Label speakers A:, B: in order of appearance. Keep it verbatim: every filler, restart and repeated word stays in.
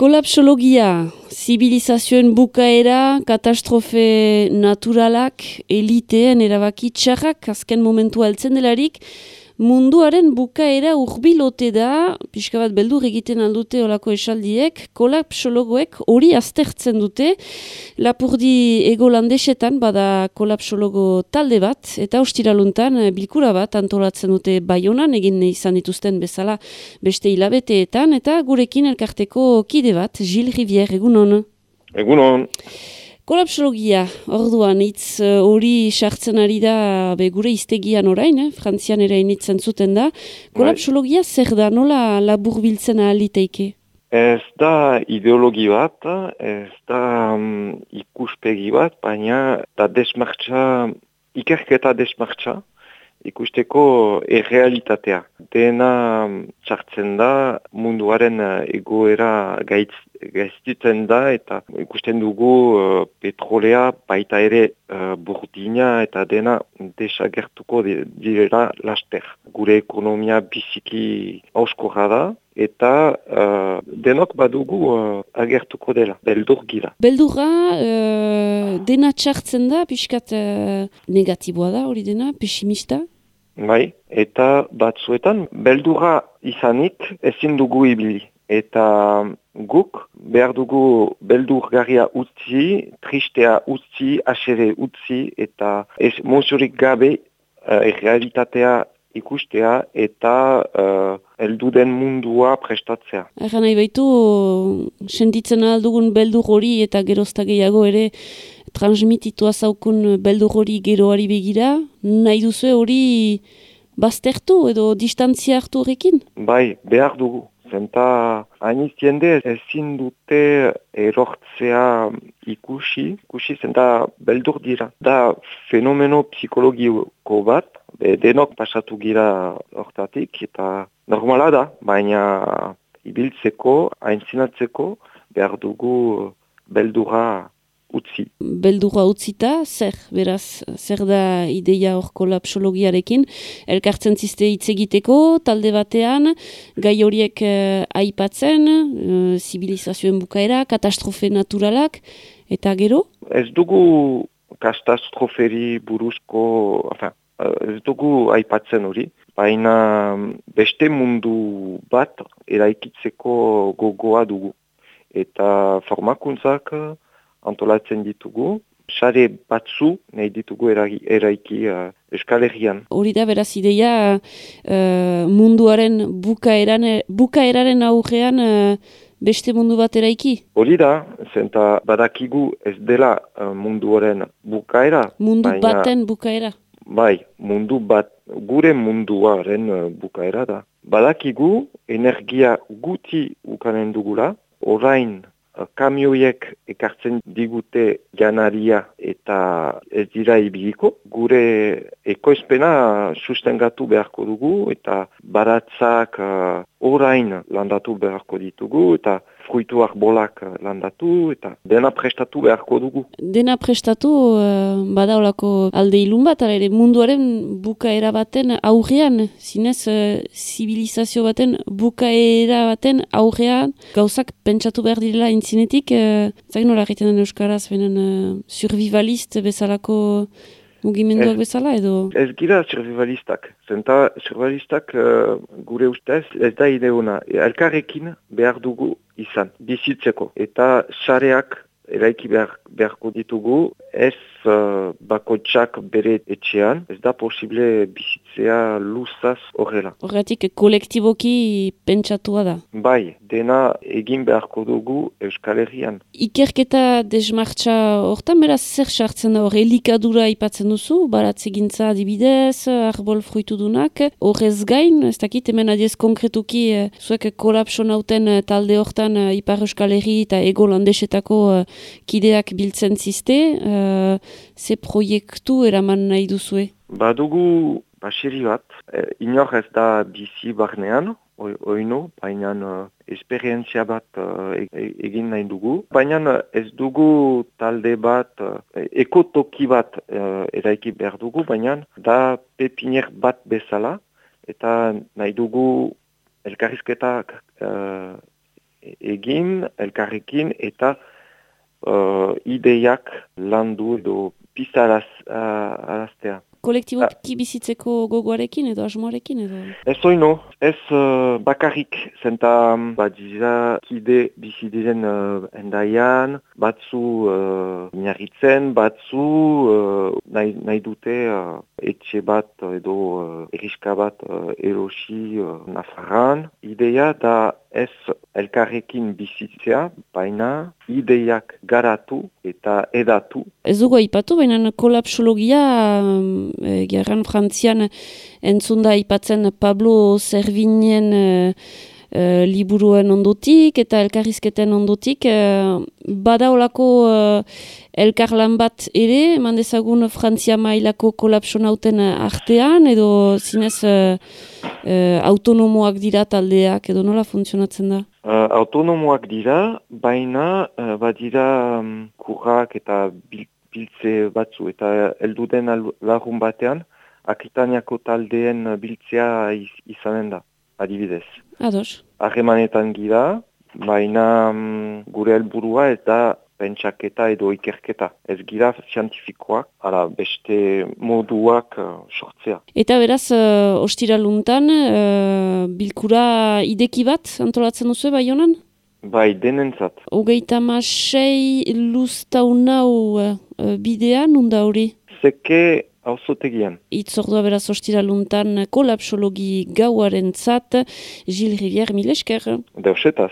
A: Kolapsologia, zibilizazioen bukaera, katastrofe naturalak, eliteen erabaki txarrak, azken momentua heltzen delarik, munduaren bukaera urbilote da, pixka bat beldur egiten aldute olako esaldiek, kolapsologoek hori aztertzen dute, Lapurdi ego landesetan bada kolapsologo talde bat, eta ostiraluntan bilkura bat antolatzen dute Baionan, egin izan dituzten bezala beste hilabeteetan, eta gurekin elkarteko kide bat, Gilles Rivière, egunon.
B: Egunon.
A: Kolapsologia, orduan, hitz hori uh, sartzen ari da be, gure iztegian orain, eh? Frantzian ere initzen zuten da. Kolapsologia zer da, nola labur biltzen ahaliteike?
B: Ez da ideologi bat, ez da um, ikuspegi bat, baina da desmartza, ikerketa desmartza, ikusteko errealitatea. Dena sartzen da, munduaren egoera gaitz, gaiztitzen da, eta ikusten dugu uh, petrolea, baita ere uh, burdina, eta dena desagertuko direla laster. Gure ekonomia biziki auskorra da, eta uh, denok badugu uh, agertuko dela, beldur gira.
A: Beldurra, uh, dena txartzen da, pixkat uh, negatiboa da hori dena, pesimista?
B: Bai, eta batzuetan, beldurra izanik ezin dugu ibili. Eta guk behar dugu beldurgarria utzi, tristea utzi, asere utzi, eta ez mozurik gabe uh, realitatea ikustea eta uh, elduden mundua prestatzea.
A: Erra nahi baitu, sentitzen aldugun beldur hori eta gerozta gehiago ere transmititua zaukun beldur hori geroari begira, nahi duzu hori baztertu edo distantzia hartu horrekin?
B: Bai, behar dugu. Zenta hainiz jende ezin dute erortzea ikusi, ikusi zenta beldur dira. Da fenomeno psikologiko bat, be, denok pasatu gira hortatik, eta normala da, baina ibiltzeko, aintzinatzeko, behar dugu beldurra utzi.
A: Beldurra utzita, zer, beraz, zer da ideia hor kolapsologiarekin, elkartzen ziste hitz egiteko, talde batean, gai horiek eh, aipatzen, eh, zibilizazioen bukaera, katastrofe naturalak, eta gero?
B: Ez dugu katastroferi buruzko, enfin, ez dugu aipatzen hori, baina beste mundu bat eraikitzeko gogoa dugu. Eta formakuntzak antolatzen ditugu, sare batzu nahi ditugu eragi, eraiki uh, Euskal Herrian.
A: Hori da beraz ideia uh, munduaren bukaeran, bukaeraren aurrean uh, beste mundu bat eraiki?
B: Hori da, zenta badakigu ez dela uh, munduaren bukaera.
A: Mundu
B: baina,
A: baten bukaera?
B: Bai, mundu bat, gure munduaren uh, bukaera da. Badakigu energia guti ukanen dugula, orain kamioiek ekartzen digute janaria eta ez dira ibiliko. Gure ekoizpena sustengatu beharko dugu eta baratzak uh, orain landatu beharko ditugu eta fruitu arbolak landatu eta dena prestatu beharko dugu.
A: Dena prestatu uh, bada olako alde ilun bat, ere munduaren bukaera baten aurrean, zinez uh, zibilizazio baten bukaera baten aurrean, gauzak pentsatu behar direla intzinetik, uh, zagin nola egiten den euskaraz, benen uh, survivalist bezalako mugimenduak bezala edo?
B: Ez gira survivalistak. Zenta survivalistak uh, gure ustez ez da ideona. Elkarrekin behar dugu izan, bizitzeko. Eta sareak eraiki behar, beharko ditugu, ez uh, bakotxak bere etxean, ez da posible bizitzea luzaz horrela.
A: Horretik kolektiboki pentsatua da?
B: Bai, dena egin beharko dugu Euskal Herrian.
A: Ikerketa desmartza hortan beraz zer sartzen da hor, elikadura ipatzen duzu, baratzegintza adibidez, arbol fruitudunak, horrez gain, ez dakit hemen adiez konkretuki, eh, zuek kolapso nauten talde hortan eh, Ipar Euskal Herri eta ego landesetako eh, kideak biltzen ziste, uh, ze proiektu eraman nahi duzue?
B: Badugu baseri bat, e, inor ez da bizi barnean, oino, baina uh, esperientzia bat uh, egin nahi dugu. Baina ez dugu talde bat, uh, ekotoki bat uh, eraiki behar dugu, baina da pepinier bat bezala, eta nahi dugu elkarrizketak uh, egin elkarrekin eta uh, ideiak landu edo pizaraz uh, araztea.
A: Kolektiboki bizitzeko gogoarekin edo asmoarekin edo?
B: Ez oino, ez uh, bakarrik, zenta badira kide bizi diren uh, endaian, batzu uh, inarritzen, batzu uh, nahi, nahi dute uh, etxe bat edo uh, eriska bat uh, erosi uh, Nafarran. Ideia da ez elkarrekin bizitzea, baina ideiak garatu eta edatu.
A: Ez dugu aipatu, baina kolapsologia e, gerran Frantzian entzunda aipatzen Pablo Servignen e, e, liburuen ondotik eta elkarrizketen ondotik. E, bada olako e, elkarlan bat ere, eman dezagun Frantzia mailako kolapsonauten artean, edo zinez e, e, autonomoak dira taldeak, edo nola funtzionatzen da?
B: Uh, autonomoak dira, baina uh, badira um, kurrak eta bil, biltze batzu, eta elduden lagun batean, Akitaniako taldeen biltzea iz, izanen da, adibidez.
A: Ados.
B: Harremanetan gira, baina um, gure helburua eta pentsaketa edo ikerketa. Ez gira zientifikoak, ala beste moduak uh, sortzea.
A: Eta beraz, uh, ostiraluntan, uh, bilkura ideki bat antolatzen duzu bai honan?
B: Bai, denentzat.
A: Hogeita masei luztaunau uh, bidea, nunda hori?
B: Zeke auzotegian.
A: Itzordua beraz ostiraluntan kolapsologi gauaren zat, Gilles Rivière, mil esker.
B: Deusetaz.